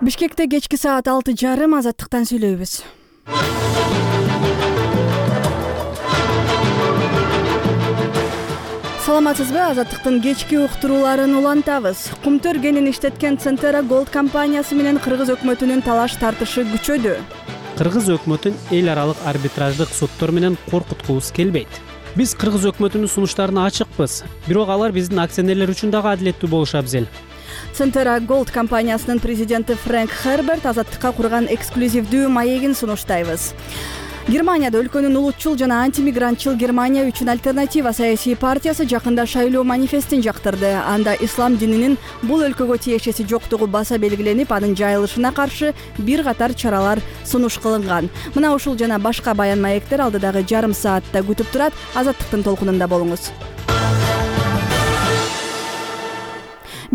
Бишкекте кечки саат 6:30 Азаттыктан сүйлөйбүз. Саламатсызбы? Азаттыктын кечки уктурууларын улантабыз. Кумтөр кенин иштеткен Центера Gold компаниясы менен кыргыз өкмөтүнүн талаш тартышы күчөдү. Кыргыз өкмөтүн эл аралык арбитраждык суттор менен коркуткубуз келбейт. Биз кыргыз өкмөтүнүн сунуштарына ачыкпыз, бирок алар биздин акционерлер үчүн дагы адилеттүү болушу абзел. Центера Gold компаниясынын президенти Фрэнк Херберт Азаттыкка курган эксклюзивдүү маегин сунуштайбыз. Германияда өлкөнүн улутчул жана антимигрантчыл Германия үчүн альтернатива саясий партиясы жакында шайлоо манифестин жактырды. Анда ислам дининин бул өлкөгө тиешеси жоктугу баса белгиленип, анын жайылышына каршы бир катар чаралар сунуш кылынган. Мына ушул жана башка баян маектер алдыдагы жарым саатта күтүп турат. Азаттыктын толкунунда болуңуз.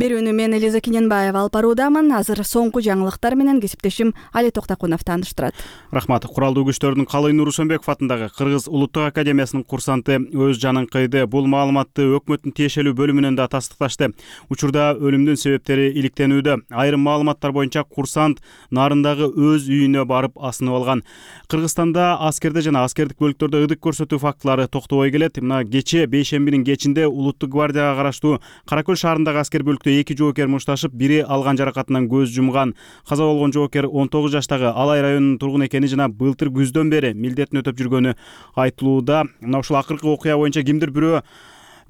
Берүүнү мен Элиза Кененбаева алып баруудамын. Азыр соңку жаңылыктар менен кесиптешим Али Токтакунов тааныштырат. Рахмат. Куралдуу күчтөрдүн Калый Нурусөнбеков атындагы Кыргыз Улуттук академиясынын курсанты өз жанын кыйды. Бул маалыматты өкмөттүн тиешелүү бөлүмүнөн да тастыкташты. Учурда өлүмдүн себептери иликтенүүдө. Айрым маалыматтар боюнча курсант нарындагы өз үйүнө барып асынып алган. Кыргызстанда аскерде жана аскердик бөлүктөрдө ыдык көрсөтүү фактылары токтобой келет. Мына кечээ бейшембинин кечинде Улуттук гвардияга караштуу Каракөл шаарындагы аскер бөлүктө 2 жоокер мушташып, бири алган жаракатынан көз жумган. Каза болгон жоокер 19 жаштагы Алай районунун тургуну экени жана былтыр күздөн бери милдетин өтөп жүргөнү айтылууда. Мына ушул акыркы окуя боюнча кимдир бирөө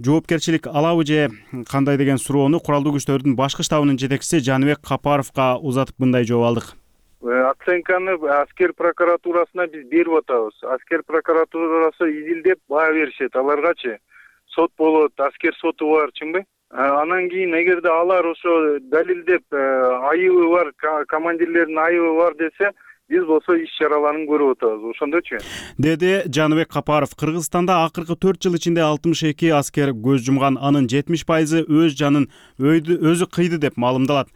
жоопкерчилик алабы же кандай деген суроону куралдуу күчтөрдүн башкы штабынын жетекчиси Жаныбек Капаровго узатып мындай жооп алдык. Оценканы аскер прокуратурасына биз берип атабыз. Аскер прокуратурасы изилдеп баа беришет. Аларгачы сот болот, аскер соту бар, чынбы? Анан кийин эгерде алар ошо далилдеп айыбы бар, командирлердин айыбы бар десе, биз болсо иш чараларын көрүп атабыз. Ошондочу? Деди Жаныбек Капаров. Кыргызстанда акыркы 4 жыл ичинде 62 аскер көз жумган, анын 70% өз жанын өзү кыйды деп маалымдалат.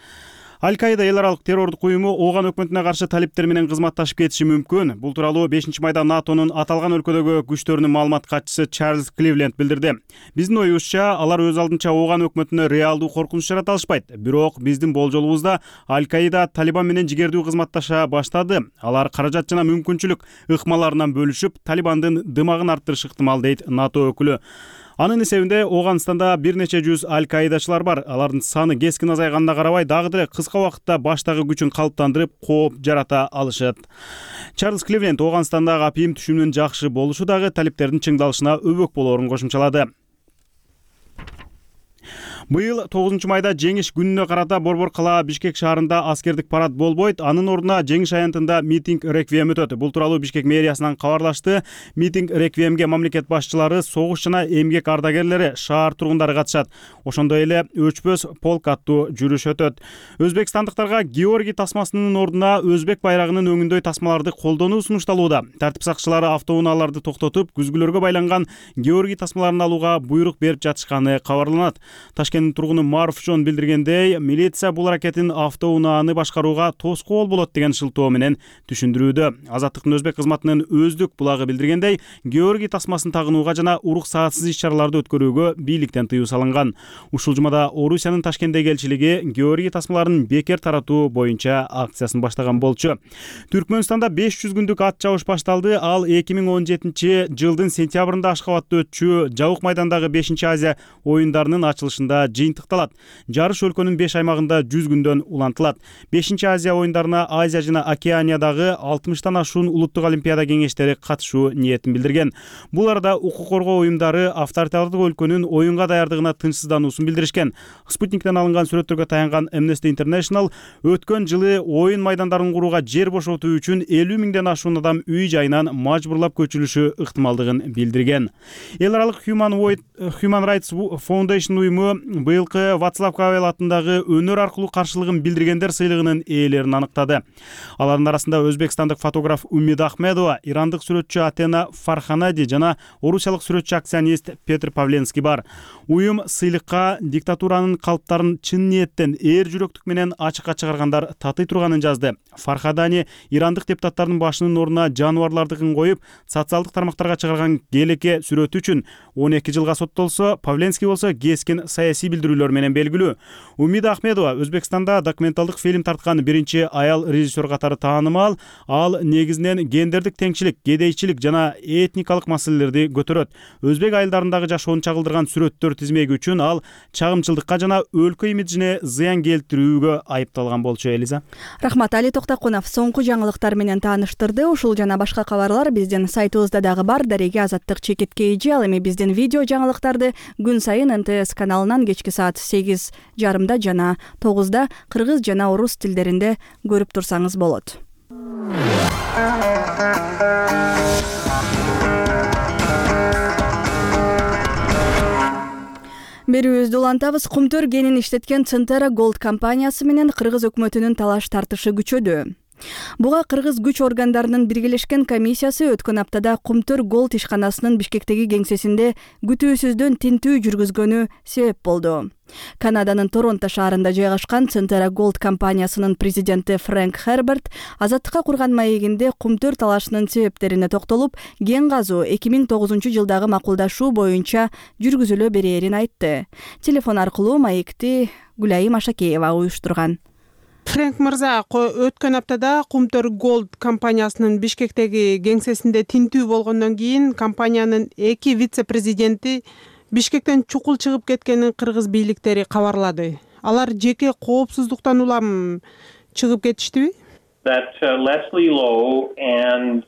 Аль-Каида эл аралык террордук уюму ооган өкмөтүнө каршы талиптер менен кызматташып кетиши мүмкүн. Бул тууралуу 5-майда НАТОнун аталган өлкөдөгү күчтөрүнүн маалымат катчысы Чарльз Кливленд билдирди. Биздин оюбузча, алар өз алдынча ооган өкмөтүнө реалдуу коркунуч жарата алышпайт. Бирок биздин болжолубузда Аль-Каида Талибан менен жигердүү кызматташа баштады. Алар каражат жана мүмкүнчүлүк ыкмаларынан бөлүшүп, Талибандын дымагын арттырышы ыктымал, дейт НАТО өкүлү. Анын эсебинде Ооганстанда бир нече жүз Аль-Каидачылар бар. Алардын саны кескин азайганына карабай, дагы деле кыска убакытта баштагы күчүн калыптандырып, кооп жарата алышат. Чарльз Кливленд Ооганстандагы апийим түшүмүнүн жакшы болушу дагы талиптердин чыңдалышына өбөк болоорун кошумчалады. Быйыл 9-майда жеңиш күнүнө карата Борбор кала Бишкек шаарында аскердик парад болбойт. Анын ордуна жеңиш аянтында митинг реквием өтөт. Бул тууралуу Бишкек мэриясынан кабарлашты. Митинг реквиемге мамлекет башчылары, согуш жана эмгек ардагерлери, шаар тургундары катышат. Ошондой эле өчпөс полк аттуу жүрүш өтөт. Өзбекстандыктарга Георгий тасмасынын ордуна өзбек байрагынын өңүндөй тасмаларды колдонуу сунушталууда. Тартип сакчылары автоунааларды токтотуп, күзгүлөргө байланган Георгий тасмаларын алууга буйрук берип жатышканы кабарланат. Ташкенттин тургуну Маруфжон билдиргендей, милиция бул аракетин автоунааны башкарууга тоскоол болот деген шылтоо менен түшүндүрүүдө. Азаттыктын өзбек кызматынын өздүк булагы билдиргендей, Георгий тасмасын тагынууга жана уруксаатсыз иш-чараларды өткөрүүгө бийликтен тыюу салынган. Ушул жумада Орусиянын Ташкенттеги элчилиги Георгий тасмаларын бекер таратуу боюнча акциясын баштаган болчу. Түркмөнстанда 500 күндүк ат чабыш башталды. Ал 2017 жылдын сентябрында Ашкабадта өтчү Жабык майдандагы 5-Азия оюндарынын ачылышында жыйынтыкталат. Жарыш өлкөнүн 5 аймагында 100 күндөн улантылат. 5-Азия оюндарына Азия жана Океаниядагы 60тан ашуун улуттук олимпиада кеңештери катышуу ниетин билдирген. Бул арада укук коргоо уюмдары авторитардык өлкөнүн оюнга даярдыгына тынчсыздануусун билдиришкен. Спутниктен алынган сүрөттөргө таянган Amnesty International өткөн жылы оюн майдандарын курууга жер бошотуу үчүн 50 миңден ашуун адам үй жайынан мажбурлап көчүлүшү ыктымалдыгын билдирген. Эл аралык Human Rights Foundation уюму быйылкы Вацлав Кавел атындагы өнөр аркылуу каршылыгын билдиргендер сыйлыгынын ээлерин аныктады. Алардын арасында өзбекстандык фотограф Умид Ахмедова, ирандык сүрөтчү Атена Фарханади жана орусиялык сүрөтчү акционист Петр Павленский бар. Уюм сыйлыкка диктатуранын калыптарын чын ниеттен, ээр жүрөктүк менен ачыкка чыгаргандар татый турганын жазды. Фархадани ирандык депутаттардын башынын ордуна жаныбарлардыгын коюп, социалдык тармактарга чыгарган келеке сүрөтү үчүн 12 жылга соттолсо, Павленский болсо кескин саясий сейсий билдирүүлөр менен белгилүү. Умида Ахмедова Өзбекстанда документалдык фильм тарткан биринчи аял режиссер катары таанымал. Ал негизинен гендердик теңчилик, кедейчилик жана этникалык маселелерди көтөрөт. Өзбек айылдарындагы жашоону чагылдырган сүрөттөр тизмеги үчүн ал чагымчылдыкка жана өлкө имиджине зыян келтирүүгө айыпталган болчу. Элиза. Рахмат. Али Токтакунов соңку жаңылыктар менен тааныштырды. Ушул жана башка кабарлар биздин сайтыбызда дагы бар. Дареге Азаттык чекитке эже. Ал эми биздин видео жаңылыктарды күн сайын НТС каналынан кечки саат 8:30 жана 9 кыргыз жана орус тилдеринде көрүп турсаңыз болот. Берүүбүздү улантабыз. Кумтөр кенин иштеткен Центера Gold компаниясы менен кыргыз өкмөтүнүн талаш тартышы күчөдү. Буга кыргыз күч органдарынын биргелешкен комиссиясы өткөн аптада Кумтөр Gold ишканасынын Бишкектеги кеңсесинде күтүүсүздөн тинтүү жүргүзгөнү себеп болду. Канаданын Торонто шаарында жайгашкан Центера Gold компаниясынын президенти Фрэнк Херберт Азаттыкка курган маегинде Кумтөр талашынын себептерине токтолуп, кен казуу 2009-жылдагы макулдашуу боюнча жүргүзүлө берээрин айтты. Телефон аркылуу маекти Гүлайым Ашакеева уюштурган. Фрэнк мырза, өткөн аптада Кумтөр Gold компаниясынын Бишкектеги кеңсесинде тинтүү болгондон кийин компаниянын 2 вице-президенти Бишкектен чукул чыгып кеткенин кыргыз бийликтери кабарлады. Алар жеке коопсуздуктан улам чыгып кетиштиби? That Leslie Lowe and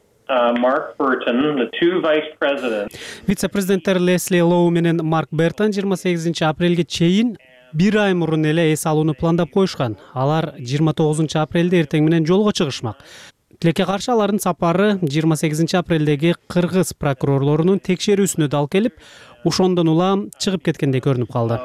Mark Burton, the two vice presidents. Вице-президенттер Лесли Лоу менен Марк Бертон 28-апрелге чейин бир ай мурун эле эс алууну пландап коюшкан. Алар 29-апрелде эртең менен жолго чыгышмак. Тилекке каршы алардын сапары 28-апрелдеги кыргыз прокурорлорунун текшерүүсүнө дал келип, ошондон улам чыгып кеткендей көрүнүп калды.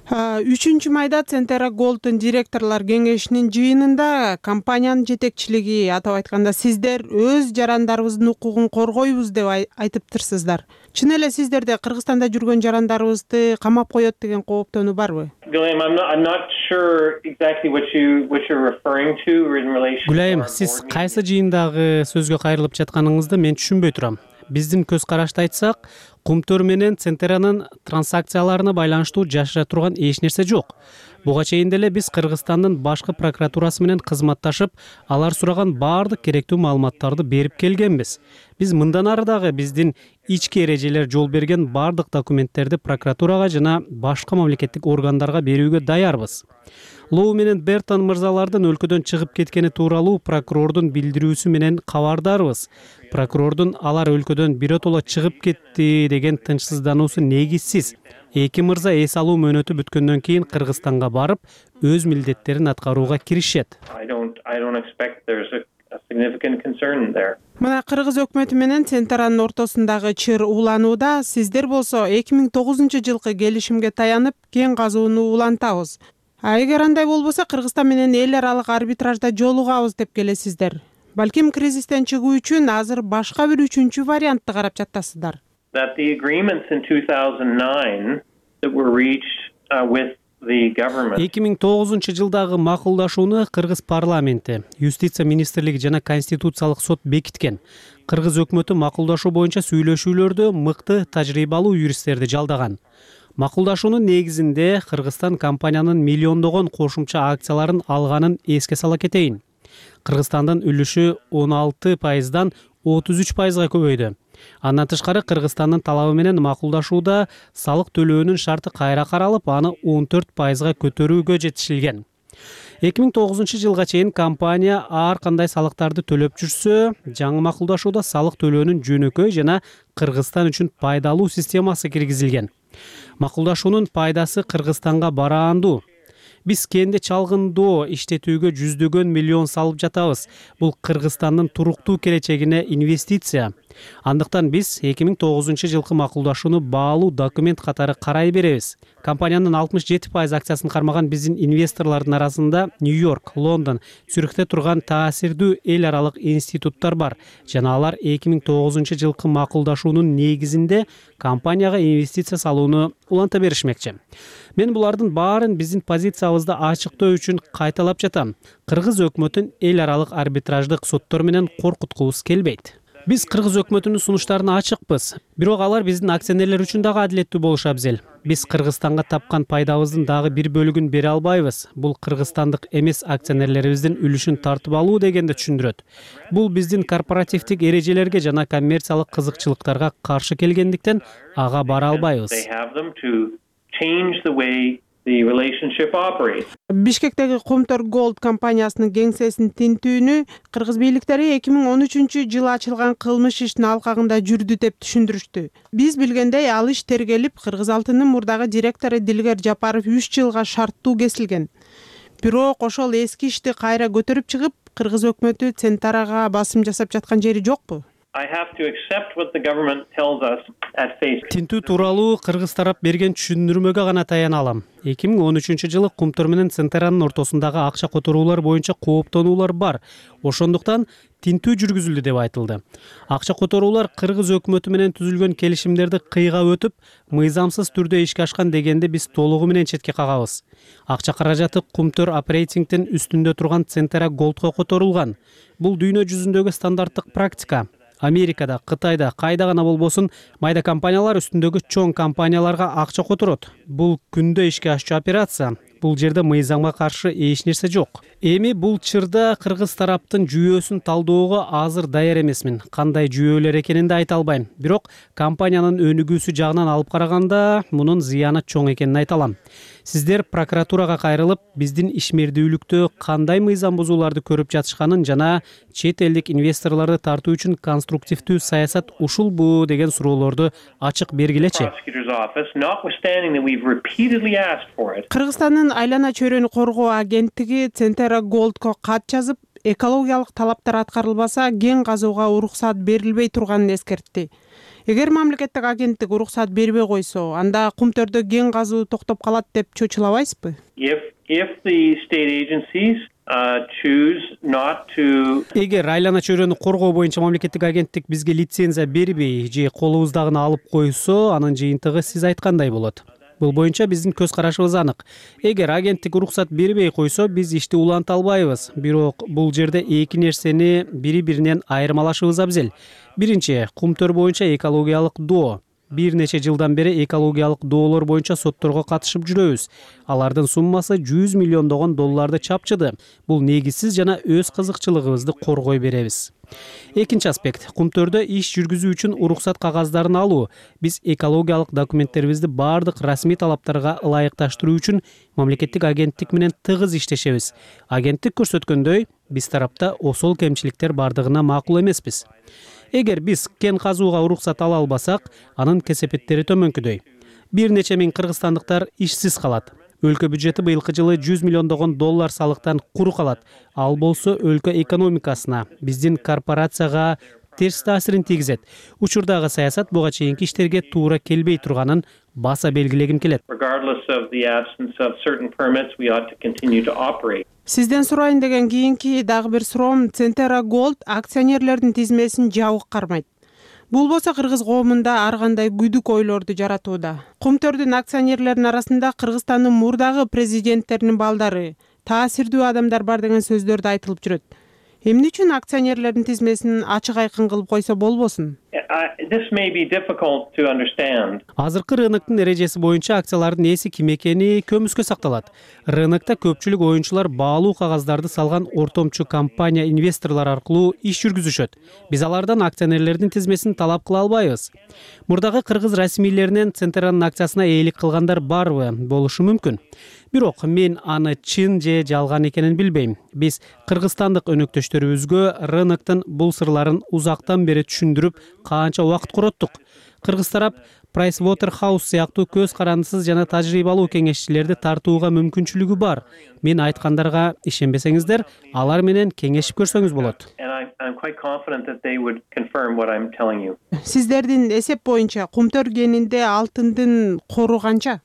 3 майда Центера Gold'ун директорлор кеңешинин жыйынында компаниянын жетекчилиги, атап айтканда сиздер өз жарандарыбыздын укугун коргойбуз деп айтыптырсыздар. Чын эле сиздерде Кыргызстанда жүргөн жарандарыбызды камап коет деген кооптонуу барбы? Гүлайым, сиз кайсы жыйындагы сөзгө кайрылып жатканыңызды мен түшүнбөй турам. Биздин көз карашты айтсак, Кумтөр менен Центеранын транзакцияларына байланыштуу жашыра турган эч нерсе жок. Буга чейин деле биз Кыргызстандын башкы прокуратурасы менен кызматташып, алар сураган баардык керектүү маалыматтарды берип келгенбиз. Биз мындан ары дагы биздин ички эрежелер жол берген баардык документтерди прокуратурага жана башка мамлекеттик органдарга берүүгө даярбыз. Лоу менен Бертон мырзалардын өлкөдөн чыгып кеткени тууралуу прокурордун билдирүүсү менен кабардарбыз. Прокурордун алар өлкөдөн биротоло чыгып кетти деген тынчсыздануусу негизсиз. Эки мырза эс алуу мөөнөтү бүткөндөн кийин Кыргызстанга барып, өз милдеттерин аткарууга киришет. Мына кыргыз өкмөтү менен Центеранын ортосундагы чыр уланууда, сиздер болсо 2009-жылкы келишимге таянып кен казууну улантабыз. Эгер андай болбосо Кыргызстан менен эл аралык арбитражда жолугабыз деп келесиздер. Балким кризистен чыгуу үчүн азыр башка бир үчүнчү вариантты карап жатасыздар. That the agreements in 2009 that were reached with the government. 2009-жылдагы макулдашууну Кыргыз парламенти, юстиция министрлиги жана конституциялык сот бекиткен. Кыргыз өкмөтү макулдашуу боюнча сүйлөшүүлөрдө мыкты тажрыйбалуу юристтерди жалдаган. Макулдашуунун негизинде Кыргызстан компаниянын миллиондогон кошумча акцияларын алганын эске сала кетейин. Кыргызстандын үлүшү 16%дан 33%га көбөйдү. Андан тышкары Кыргызстандын талабы менен макулдашууда салык төлөөнүн шарты кайра каралып, аны 14%га көтөрүүгө жетишилген. 2009-жылга чейин компания ар кандай салыктарды төлөп жүрсө, жаңы макулдашууда салык төлөөнүн жөнөкөй жана Кыргызстан үчүн пайдалуу системасы киргизилген. Макулдашуунун пайдасы Кыргызстанга бараандуу. Биз кенди чалгындоо иштетүүгө жүздөгөн миллион салып жатабыз. Бул Кыргызстандын туруктуу келечегине инвестиция. Андыктан биз 2009-жылкы макулдашууну баалуу документ катары карай беребиз. Компаниянын 67% акциясын кармаган биздин инвесторлордун арасында Нью-Йорк, Лондон, Цюрихте турган таасирдүү эл аралык институттар бар. Жана алар 2009-жылкы макулдашуунун негизинде компанияга инвестиция салууну уланта беришмекчи. Мен булардын баарын биздин позициябызды ачыктоо үчүн кайталап жатам. Кыргыз өкмөтүн эл аралык арбитраждык соттор менен коркуткубуз келбейт. Биз кыргыз өкмөтүнүн сунуштарына ачыкпыз, бирок алар биздин акционерлер үчүн дагы адилеттүү болушу абзел. Биз Кыргызстанга тапкан пайдабыздын дагы бир бөлүгүн бере албайбыз. Бул кыргызстандык эмес акционерлерибиздин үлүшүн тартып алуу дегенди түшүндүрөт. Бул биздин корпоративдик эрежелерге жана коммерциялык кызыкчылыктарга каршы келгендиктен ага бара албайбыз. Бишкектеги Кумтөр Gold компаниясынын кеңсесинин тинтүүнү кыргыз бийликтери 2013-жылы ачылган кылмыш ишинин алкагында жүрдү деп түшүндүрүштү. Биз билгендей, ал иш тергелип, Кыргыз алтынынын мурдагы директору Дилгер Жапаров 3 жылга шарттуу кесилген. Бирок ошол эски ишти кайра көтөрүп чыгып, кыргыз өкмөтү Центарага басым жасап жаткан жери жокпу? Тинтүү тууралуу кыргыз тарап берген түшүндүрмөгө гана таяна алам. 2013-жылы Кумтөр менен Центаранын ортосундагы акча которуулар боюнча кооптонуулар бар. Ошондуктан тинтүү жүргүзүлдү деп айтылды. Акча которуулар кыргыз өкмөтү менен түзүлгөн келишимдерди кыйгап өтүп, мыйзамсыз түрдө ишке ашкан дегенди биз толугу менен четке кагабыз. Акча каражаты Кумтөр оперейтингдин үстүндө турган Центара Goldко которулган. Бул дүйнө жүзүндөгү стандарттык практика. Америкада, Кытайда, кайда гана болбосун, майда компаниялар үстүндөгү чоң компанияларга акча которот. Бул күндө ишке ашчу операция. Бул жерде мыйзамга каршы эч нерсе жок. Эми бул чырда кыргыз тараптын жүйөсүн талдоого азыр даяр эмесмин. Кандай жүйөлөр экенин да айта албайм. Бирок компаниянын өнүгүүсү жагынан алып караганда мунун зыяны чоң экенин айта алам. Сиздер прокуратурага кайрылып, биздин ишмердүүлүктө кандай мыйзам бузууларды көрүп жатышканын жана чет элдик инвесторлорду тартуу үчүн конструктивдүү саясат ушулбу деген суроолорду ачык бергилечи. Кыргызстандын айлана чөйрөнү коргоо агенттиги Центара Goldко кат жазып, экологиялык талаптар аткарылбаса, кен казууга уруксат берилбей турганын эскертти. Эгер мамлекеттик агенттик уруксат бербей койсо, анда Кумтөрдө кен казуу токтоп калат деп чочулабайсызбы? Эгер айлана чөйрөнү коргоо боюнча мамлекеттик агенттик бизге лицензия бербей же колубуздагыны алып койсо, анын жыйынтыгы сиз айткандай болот. Бул боюнча биздин көз карашыбыз анык. Эгер агенттик уруксат бербей койсо, биз ишти уланта албайбыз. Бирок бул жерде эки нерсени бири-биринен айырмалашыбыз абзел. Биринчи, Кумтөр боюнча экологиялык доо. Бир нече жылдан бери экологиялык доолор боюнча сотторго катышып жүрөбүз. Алардын суммасы 100 миллиондогон долларды чапчыды. Бул негизсиз жана өз кызыкчылыгыбызды коргой беребиз. Экинчи аспект, Кумтөрдө иш жүргүзүү үчүн уруксат кагаздарын алуу. Биз экологиялык документтерибизди бардык расмий талаптарга ылайыкташтыруу үчүн мамлекеттик агенттик менен тыгыз иштешебиз. Агенттик көрсөткөндөй, биз тарапта осол кемчиликтер бардыгына макул эмеспиз. Эгер биз кен казууга уруксат ала албасак, анын кесепеттери төмөнкүдөй. Бир нече миң кыргызстандыктар ишсиз калат. Өлкө бюджети быйылкы жылы 100 миллиондогон доллар салыктан куру калат. Ал болсо өлкө экономикасына, биздин корпорацияга терс таасирин тийгизет. Учурдагы саясат буга чейинки иштерге туура келбей турганын баса белгилегим келет. Сизден сурайын деген кийинки дагы бир суроом, Центара Gold акционерлердин тизмесин жабык кармайт. Бул болсо кыргыз коомунда ар кандай күдүк ойлорду жаратууда. Кумтөрдүн акционерлеринин арасында Кыргызстандын мурдагы президенттеринин балдары, таасирдүү адамдар бар деген сөздөрдү айтылып жүрөт. Эмне үчүн акционерлердин тизмесин ачык айкын кылып койсо болбосун? Азыркы рыноктун эрежеси боюнча акциялардын ээси ким экени көмүскө сакталат. Рынокто көпчүлүк оюнчулар баалуу кагаздарды салган ортомчу компания инвесторлор аркылуу иш жүргүзүшөт. Биз алардан акционерлердин тизмесин талап кыла албайбыз. Мурдагы кыргыз расмийлеринен Центаранын акциясына ээлик кылгандар барбы? Болушу мүмкүн. Бирок мен аны чын же жалган экенин билбейм. Биз кыргызстандык өнөктөштөрүбүзгө рыноктун бул сырларын узактан бери түшүндүрүп, канча убакыт короттук. Кыргыз тарап Pricewaterhouse сыяктуу көз карандысыз жана тажрыйбалуу кеңешчилерди тартууга мүмкүнчүлүгү бар. Мен айткандарга ишенбесеңиздер, алар менен кеңешип көрсөңүз болот. Сиздердин эсеп боюнча Кумтөр кенинде алтындын кору канча?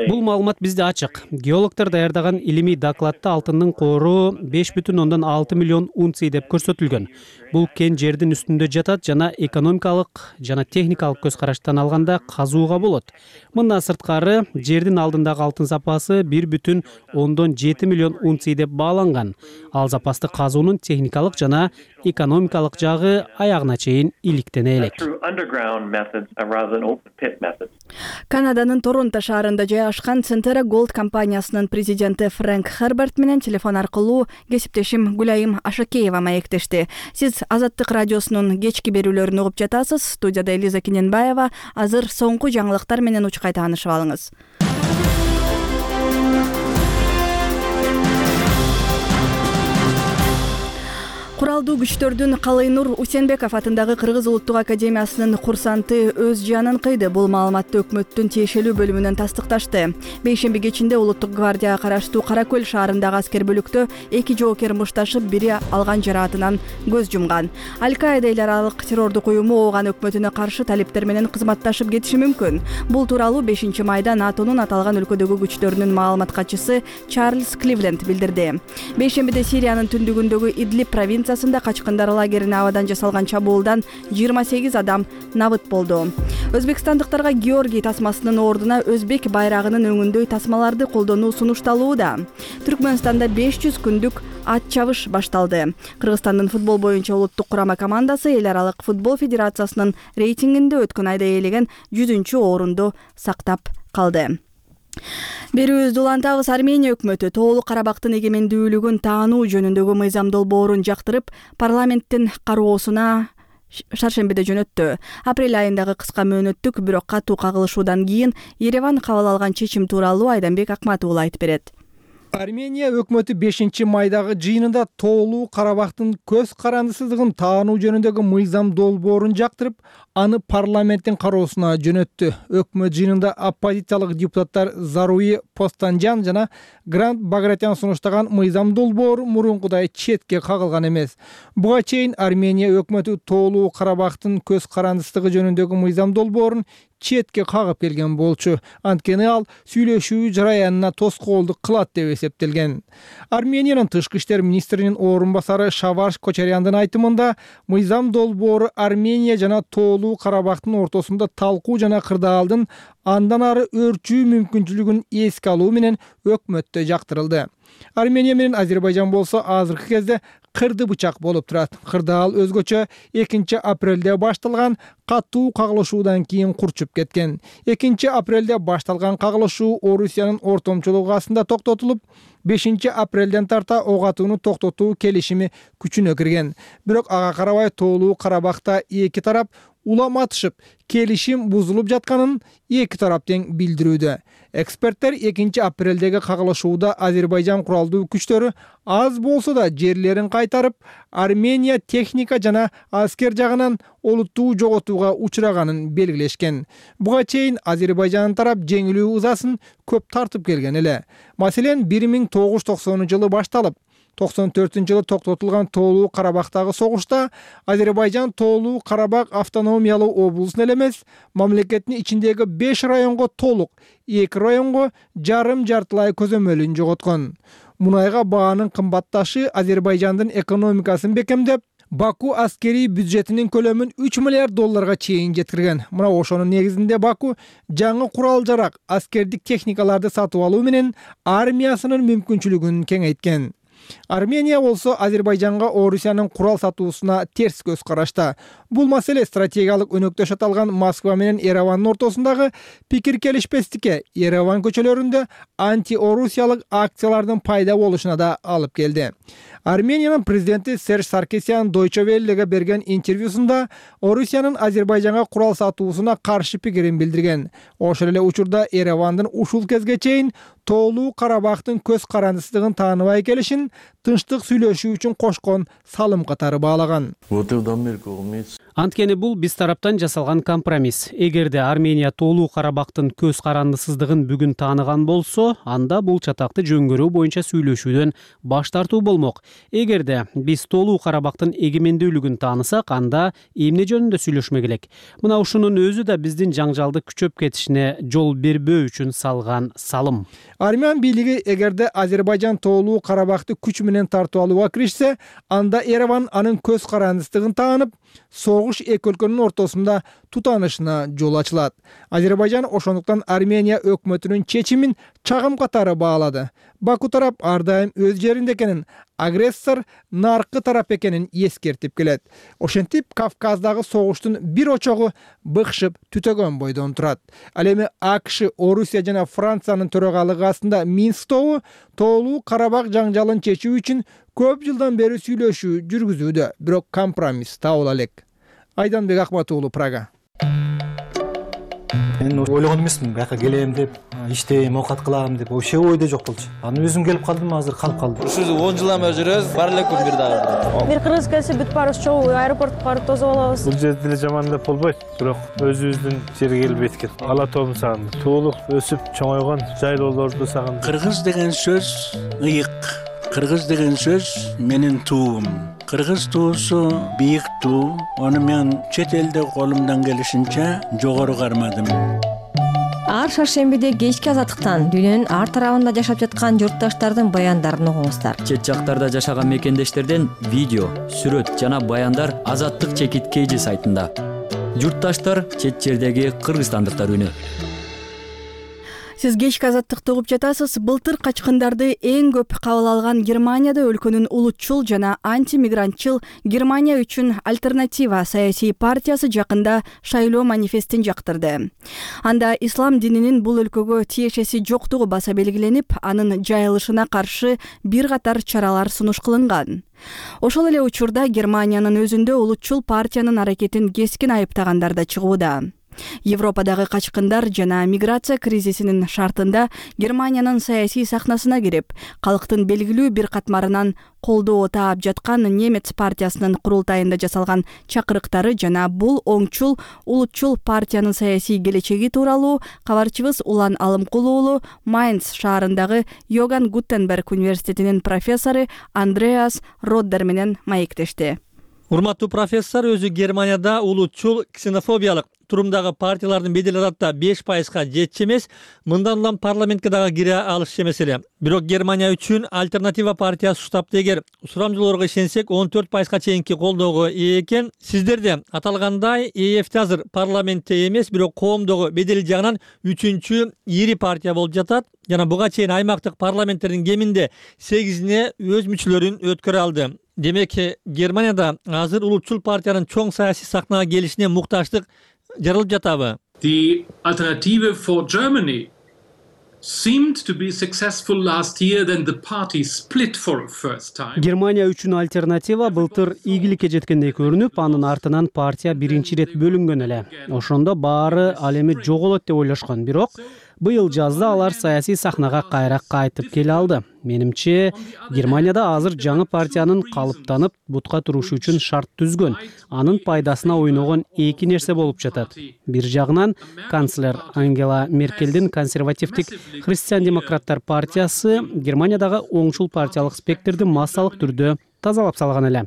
Бул маалымат бизде ачык. Геологдор даярдаган илимий докладта алтындын кору 5,6 миллион унций деп көрсөтүлгөн. Бул кен жердин үстүндө жатат жана экономикалык жана техникалык көз караштан алганда казууга болот. Мындан сырткары жердин алдындагы алтын запасы 1,7 миллион унций деп бааланган. Ал запасты казуунун техникалык жана экономикалык жагы аягына чейин иликтене элек. Канаданын Торонто шаарында жайгашкан Centerra Gold компаниясынын президенти Фрэнк Херберт менен телефон аркылуу кесиптешим Гүлайым Ашакеева маектешти. Сиз Азаттык радиосунун кечки берүүлөрүн угуп жатасыз. Студияда Элиза Кененбаева. Азыр соңку жаңылыктар менен учкай таанышып алыңыз. Куралдуу күчтөрдүн Калыйнур Усенбеков атындагы Кыргыз улуттук академиясынын курсанты өз жанын кыйды. Бул маалыматты өкмөттүн тиешелүү бөлүмүнөн тастыкташты. Бейшемби кечинде Улуттук гвардияга караштуу Кара Көл шаарындагы аскер бөлүктө 2 жоокер мушташып, бири алган жараатынан көз жумган. Аль-Каида эл аралык террордук уюму ооган өкмөтүнө каршы талиптер менен кызматташып кетиши мүмкүн. Бул тууралуу 5 майда НАТОнун аталган өлкөдөгү күчтөрүнүн маалымат катчысы Чарльз Кливленд билдирди. Бейшембиде Сириянын түндүгүндөгү Идлиб провинциясында качкындар лагерине абадан жасалган чабуулдан 28 адам набыт болду. Өзбекстандыктарга Георгий тасмасынын ордуна өзбек байрагынын өңүндөй тасмаларды колдонуу сунушталууда. Түркмөнстанда 500 күндүк ат чабыш башталды. Кыргызстандын футбол боюнча улуттук курама командасы эл аралык футбол федерациясынын рейтингинде өткөн айда ээлеген 100-орунду сактап калды. Берүүбүздү улантабыз. Армения өкмөтү Тоолук Карабактын эгемендүүлүгүн таануу жөнүндөгү мыйзам долбоорун жактырып, парламенттин кароосуна шаршембиде жөнөттү. Апрель айындагы кыска мөөнөттүк, бирок катуу кагылышуудан кийин Ереван кабыл алган чечим тууралуу Айданбек Акматуулу айтып берет. Армения өкмөтү 5 майдагы жыйынында Тоолуу Карабактын көз карандысыздыгын таануу жөнүндөгү мыйзам долбоорун жактырып, аны парламенттин кароосуна жөнөттү. Өкмөт жыйынында оппозициялык депутаттар Заруи Постанжан жана Грант Багратян сунуштаган мыйзам долбоору мурункудай четке кагылган эмес. Буга чейин Армения өкмөтү Тоолуу Карабактын көз карандысыздыгы жөнүндөгү мыйзам долбоорун четке кагып келген болчу. Анткени ал сүйлөшүү жараянына тоскоолдук кылат деп эсептелген. Армениянын тышкы иштер министринин орун басары Шаварш Кочаряндын айтымында, мыйзам долбоору Армения жана Тоолуу Карабактын ортосунда талкуу жана кырдаалдын андан ары өрчүү мүмкүнчүлүгүн эске алуу менен өкмөттө жактырылды. Армения менен Азербайжан болсо азыркы кезде кырды бычак болуп турат. Кырдаал өзгөчө 2 апрелде башталган катуу кагылышуудан кийин курчуп кеткен. 2 апрелде башталган кагылышуу Орусиянын ортомчулугу астында токтотулуп, 5 апрелден тарта ок атууну токтотуу келишими күчүнө кирген. Бирок ага карабай Тоолуу Карабакта эки тарап уламатышып, келишим бузулуп жатканын эки тарап тең билдирүүдө. Эксперттер 2 апрелдеги кагылышууда Азербайжан куралдуу күчтөрү аз болсо да жерлерин кайтарып, Армения техника жана аскер жагынан олуттуу жоготууга учураганын белгилешкен. Буга чейин Азербайжан тарап жеңилүү ызасын көп тартып келген эле. Маселен, 1990-жылы башталып, 94-жылы токтотулган Тоолуу Карабактагы согушта Азербайжан Тоолуу Карабак автономиялуу облусун эле эмес, мамлекеттин ичиндеги 5 районго толук, 2 районго жарым-жартылай көзөмөлүн жоготкон. Мунайга баанын кымбатташы Азербайжандын экономикасын бекемдеп, Баку аскерий бюджетинин көлөмүн 3 миллиард долларга чейин жеткирген. Мына ошонун негизинде Баку жаңы курал-жарак, аскердик техникаларды сатып алуу менен армиясынын мүмкүнчүлүгүн кеңейткен. Армения болсо Азербайжанга Орусиянын курал сатуусуна терс көз карашта. Бул маселе стратегиялык өнөктөш аталган Москва менен Еревандын ортосундагы пикир келишпестикке, Ереван көчөлөрүндө анти-орусиялык акциялардын пайда болушуна да алып келди. Армениянын президенти Серж Саркисян Deutsche Welle'ге берген интервьюсунда Орусиянын Азербайжанга курал сатуусуна каршы пикирин билдирген. Ошол эле учурда Еревандын ушул кезге чейин Тоолуу Карабактын көз карандысыздыгын тааныбай келишин тынчтык сүйлөшүү үчүн кошкон салым катары баалаган. Анткени бул биз тараптан жасалган компромисс. Эгерде Армения Тоолуу Карабактын көз карандысыздыгын бүгүн тааныган болсо, анда бул чатакты жөнгөрүү боюнча сүйлөшүүдөн баш тартуу болмок. Эгерде биз Тоолуу Карабактын эгемендүүлүгүн таанысак, анда эмне жөнүндө сүйлөшмөк элек. Мына ушунун өзү да биздин жаңжалды күчөп кетишине жол бербөө үчүн салган салым. Армян бийлиги эгерде Азербайжан Тоолуу Карабакты күч менен менен тартып алууга киришсе, анда Ереван анын көз карандысыздыгын таанып, согуш эки өлкөнүн ортосунда тутанышына жол ачылат. Азербайжан ошондуктан Армения өкмөтүнүн чечимин чагым катары баалады. Баку тарап ар дайым өз жеринде экенин, агрессор наркы тарап экенин эскертип келет. Ошентип Кавказдагы согуштун бир очогу быкшып түтөгөн бойдон турат. Ал эми АКШ, Орусия жана Франциянын төрагалыгы астында Минск тобу тоолуу Карабак жаңжалын чечүү үчүн көп жылдан бери сүйлөшүү жүргүзүүдө, бирок компромисс табыла элек. Айданбек Акматуулу, Прага. Мен ойлогон эмесмин, бияка келем деп, иштейм, оокат кылам деп, вообще ойдо жок болчу. Аны өзүм келип калдым, азыр калып калдым. Ушул 10 жылдан бери жүрөбүз, бар элекпи бир дагы. Бир кыргыз келсе бүт барыбыз чогуу аэропортко барып тосуп алабыз. Бул жерде деле жаман деп болбойт, бирок өзүбүздүн жерге келбейт экен. Ала тообун сагындым. Туулук өсүп чоңойгон жайлоолорду сагындым. Кыргыз деген сөз ыйык. Кыргыз деген сөз менин туум. Кыргыз туусу бийик туу. Аны мен чет элде колумдан келишинче жогору кармадым. Ар шаршембиде кечки азаттыктан дүйнөнүн ар тарабында жашап жаткан журтташтардын баяндарын угуңуздар. Чет жактарда жашаган мекендештерден видео, сүрөт жана баяндар Азаттык чекит KG сайтында. Журтташтар чет жердеги кыргызстандыктар үнү. Сиз кечки азаттыкты угуп жатасыз. Былтыр качкындарды эң көп кабыл алган Германияда өлкөнүн улутчул жана антимигрантчыл Германия үчүн альтернатива саясий партиясы жакында шайлоо манифестин жактырды. Анда ислам дининин бул өлкөгө тиешеси жоктугу баса белгиленип, анын жайылышына каршы бир катар чаралар сунуш кылынган. Ошол эле учурда Германиянын өзүндө улутчул партиянын аракетин кескин айыптагандар да чыгууда. Европадагы качкындар жана миграция кризисинин шартында Германиянын саясий сахнасына кирип, калктын белгилүү бир катмарынан колдоо таап жаткан немец партиясынын курултайында жасалган чакырыктары жана бул оңчул улутчул партиянын саясий келечеги тууралуу кабарчыбыз Улан Алымкул уулу Майнц шаарындагы Йоган Гутенберг университетинин профессору Андреас Роддер менен маектешти. Урматтуу профессор, өзү Германияда улутчул ксенофобиялык турумдагы партиялардын бедели адатта 5%га жетчү эмес, мындан улам парламентке дагы кире алышчу эмес эле. Бирок Германия үчүн альтернатива партиясы штабты эгер сурамжылоорго ишенсек 14%га чейинки колдоого ээ экен. Сиздерде аталгандай ЕФТ азыр парламентте эмес, бирок коомдогу бедели жагынан 3-чү ири партия болуп жатат жана буга чейин аймактык парламенттердин кеминде 8-ине өз мүчөлөрүн өткөрө алды. Демек, Германияда азыр улутчул партиянын чоң саясий сахнага келишине муктаждык жаралып жатабы? The alternative for Germany seemed to be successful last year, then the party split for a first time. Германия үчүн альтернатива былтыр ийгиликке жеткендей көрүнүп, анын артынан партия биринчи ирет бөлүнгөн эле. Ошондо баары ал эми жоголот деп ойлошкон, бирок быйыл жазда алар саясий сахнага кайра кайтып келе алды. Менимче, Германияда азыр жаңы партиянын калыптанып, бутка турушу үчүн шарт түзгөн, анын пайдасына ойногон эки нерсе болуп жатат. Бир жагынан, канцлер Ангела Меркелдин консервативдик христиан-демократтар партиясы Германиядагы оңчул партиялык спектрди массалык түрдө тазалап салган эле.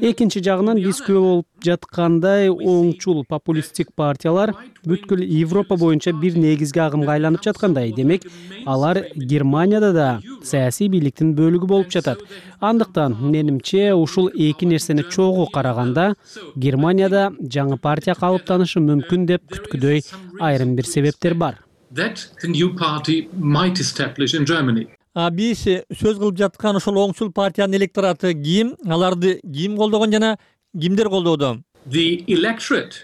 Экинчи жагынан, биз күбө болуп жаткандай оңчул популисттик партиялар бүткүл Европа боюнча бир негизги агымга айланып жаткандай. Демек, алар Германияда да саясий бийликтин бөлүгү болуп жатат. Андыктан, менимче, ушул эки нерсени чогуу караганда, Германияда жаңы партия калыптанышы мүмкүн деп күткүдөй айрым бир себептер бар. That the new party might establish in Germany. Биз сөз кылып жаткан ошол оңчул партиянын электораты ким, аларды ким колдогон жана кимдер колдоодо? The electorate,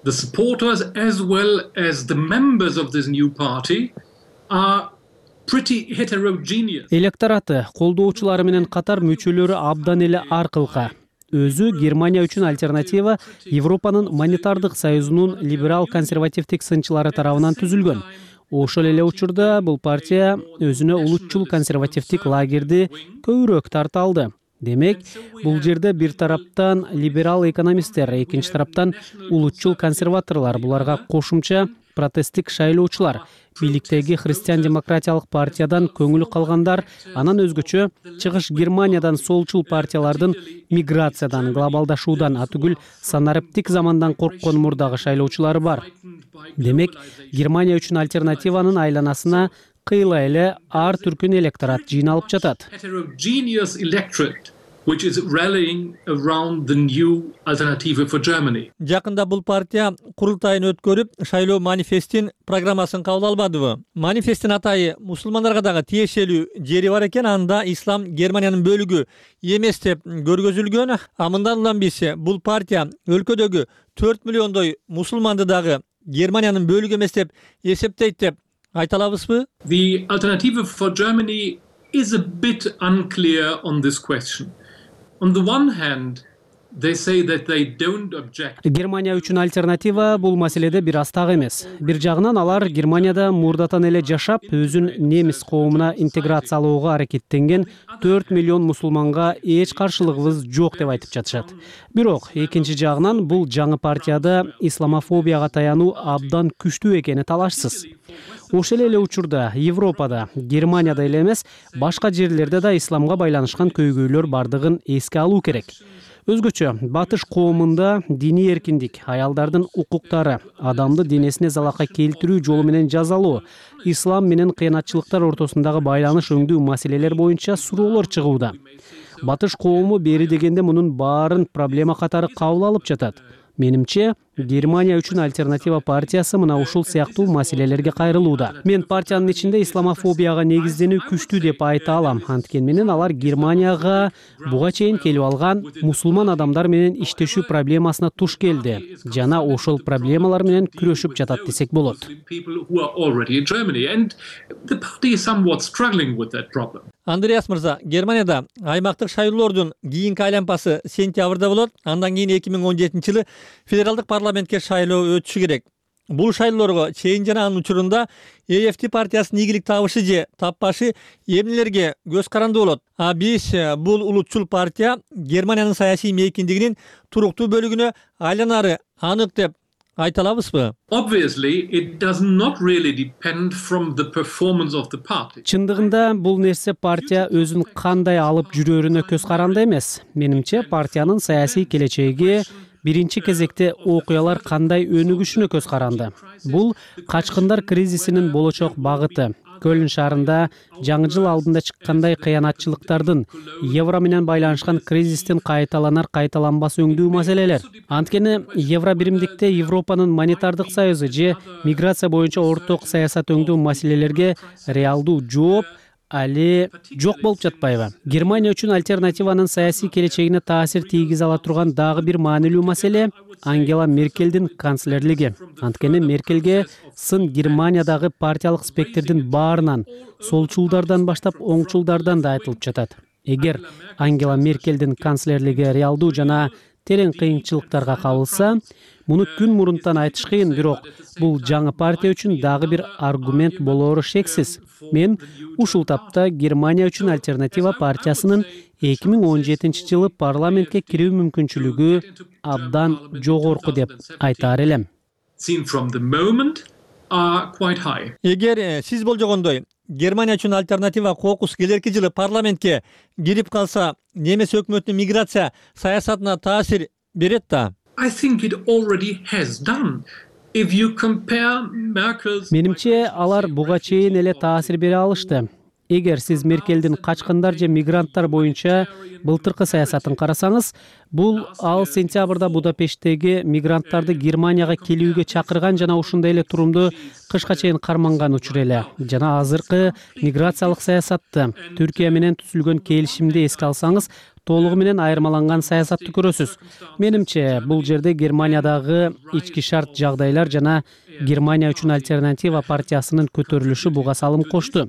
the supporters as well as the members of this new party are pretty heterogeneous. Электораты, колдоочулары менен катар мүчөлөрү абдан эле ар кылка. Өзү Германия үчүн альтернатива Европанын монетардык союзунун либерал-консервативдик сынчылары тарабынан түзүлгөн. Ошол эле учурда бул партия өзүнө улутчул консервативдик лагерди көбүрөөк тарта алды. Демек, бул жерде бир тараптан либерал экономисттер, экинчи тараптан улутчул консерваторлор, буларга кошумча протесттик шайлоочулар, бийликтеги христиан-демократиялык партиядан көңүлү калгандар, анан өзгөчө чыгыш Германиядан солчул партиялардын миграциядан, глобалдашуудан, атүгүл санариптик замандан корккон мурдагы шайлоочулары бар. Демек, Германия үчүн альтернативанын айланасына кыйла эле ар түркүн электорат жыйналып жатат. Heterogeneous electorate which is rallying around the new Alternative for Germany. Жакында бул партия курултайын өткөрүп, шайлоо манифестин программасын кабыл албадыбы? Манифесттин атайы мусулмандарга дагы тиешелүү жери бар экен, анда ислам Германиянын бөлүгү эмес деп көргөзүлгөн. А мындан улам биз бул партия өлкөдөгү 4 миллиондой мусулманды дагы Германиянын бөлүгү эмес деп эсептейт деп айта алабызбы? The Alternative for Germany is a bit unclear on this question. On the one hand, they say that they don't object. Германия үчүн альтернатива бул маселеде бир аз так эмес. Бир жагынан алар Германияда мурдатан эле жашап, өзүн немис коомуна интеграциялоого аракеттенген 4 миллион мусулманга эч каршылыгыбыз жок деп айтып жатышат. Бирок экинчи жагынан бул жаңы партияда исламофобияга таянуу абдан күчтүү экени талашсыз. Ошол эле учурда Европада, Германияда эле эмес, башка жерлерде да исламга байланышкан көйгөйлөр бардыгын эске алуу керек. Өзгөчө батыш коомунда диний эркиндик, аялдардын укуктары, адамды денесине залалга келтирүү жолу менен жазалоо, ислам менен кыянатчылыктар ортосундагы байланыш өңдүү маселелер боюнча суроолор чыгууда. Батыш коому бери дегенде мунун баарын проблема катары кабыл алып жатат. Менимче, Германия үчүн альтернатива партиясы мына ушул сыяктуу маселелерге кайрылууда. Мен партиянын ичинде исламофобияга негизденүү күчтүү деп айта алам. Анткени менен алар Германияга буга чейин келип алган мусулман адамдар менен иштешүү проблемасына туш келди. Жана ошол проблемалар менен күрөшүп жатат десек болот. Андреас мырза, Германияда аймактык шайлоолордун кийинки айланпасы сентябрда болот. Андан кийин 2017-жылы федералдык парламентке шайлоо өтүшү керек. Бул шайлоолорго чейин жана анын учурунда EFD партиясынын ийгилик табышы же таппашы эмнелерге көз каранды болот. А биз бул улутчул партия Германиянын саясий мейкиндигинин туруктуу бөлүгүнө айланары анык деп айта алабызбы? Obviously, it does not really depend from the performance of the party. Чындыгында бул нерсе партия өзүн кандай алып жүрөрүнө көз каранды эмес. Менимче партиянын саясий келечеги биринчи кезекте окуялар кандай өнүгүшүнө көз каранды. Бул качкындар кризисинин болочок багыты. Көлн шаарында жаңы жыл алдында чыккандай кыянатчылыктардын, евро менен байланышкан кризистин кайталанар-кайталанбас өңдүү маселелер. Анткени евро биримдикте Европанын монетардык союзу же миграция боюнча орток саясат өңдүү маселелерге реалдуу жооп али жок болуп жатпайбы? Германия үчүн альтернативанын саясий келечегине таасир тийгизе ала турган дагы бир маанилүү маселе Ангела Меркелдин канцлерлиги. Анткени Меркелге сын Германиядагы партиялык спектрдин баарынан, солчулдардан баштап оңчулдардан да айтылып жатат. Эгер Ангела Меркелдин канцлерлиги реалдуу жана терең кыйынчылыктарга кабылса, муну күн мурунтан айтыш кыйын, бирок бул жаңы партия үчүн дагы бир аргумент болоору шексиз. Мен ушул тапта Германия үчүн альтернатива партиясынын 2017-жылы парламентке кирүү мүмкүнчүлүгү абдан жогорку деп айтаар элем. Эгер сиз болжогондой Германия үчүн альтернатива кокус келерки жылы парламентке кирип калса, немис өкмөтүнүн миграция саясатына таасир берет да? I think it already has done. If you compare Merkel's... Менимче алар буга чейин эле таасир бере алышты. Эгер сиз Меркелдин качкындар же мигранттар боюнча былтыркы саясатын карасаңыз, бул ал сентябрда Будапешттеги мигранттарды Германияга келүүгө чакырган жана ушундай эле турумду кышка чейин карманган учур эле. Жана азыркы миграциялык саясатты, Түркия менен түзүлгөн келишимди эске алсаңыз, толугу менен айырмаланган саясатты көрөсүз. Менимче, бул жерде Германиядагы ички шарт жагдайлар жана Германия үчүн альтернатива партиясынын көтөрүлүшү буга салым кошту.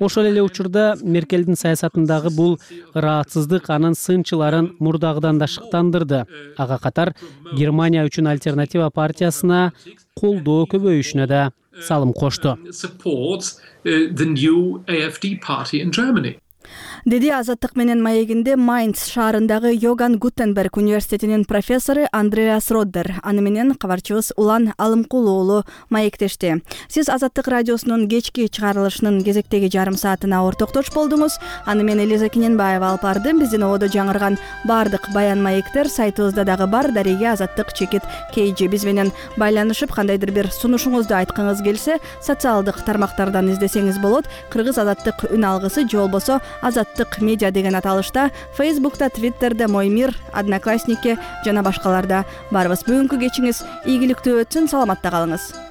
Ошол эле учурда Меркелдин саясатындагы бул ыраатсыздык анын сынчыларын мурдагыдан да шыктандырды. Ага катар Германия үчүн альтернатива партиясына колдоо көбөйүшүнө да салым кошту. деди Азаттык менен маегинде Майнц шаарындагы Йоган Гутенберг университетинин профессору Андреас Роддер. Аны менен кабарчыбыз Улан Алымкулуу уулу маектешти. Сиз Азаттык радиосунун кечки чыгарылышынын кезектеги жарым саатына ортоктош болдуңуз. Аны мен Элиза Кененбаева алып бардым. Биздин ободо жаңырган бардык баян маектер сайтыбызда дагы бар. Дареге Азаттык чекит KG. Биз менен байланышып кандайдыр бир сунушуңузду айткыңыз келсе, социалдык тармактардан издесеңиз болот. Кыргыз Азаттык үн алгысы же болбосо Азаттык медиа деген аталышта Facebook'ta, Twitter'da, Мой мир, Одноклассники жана башкаларда барбыз. Бүгүнкү кечиңиз ийгиликтүү өтсүн, саламатта калыңыз.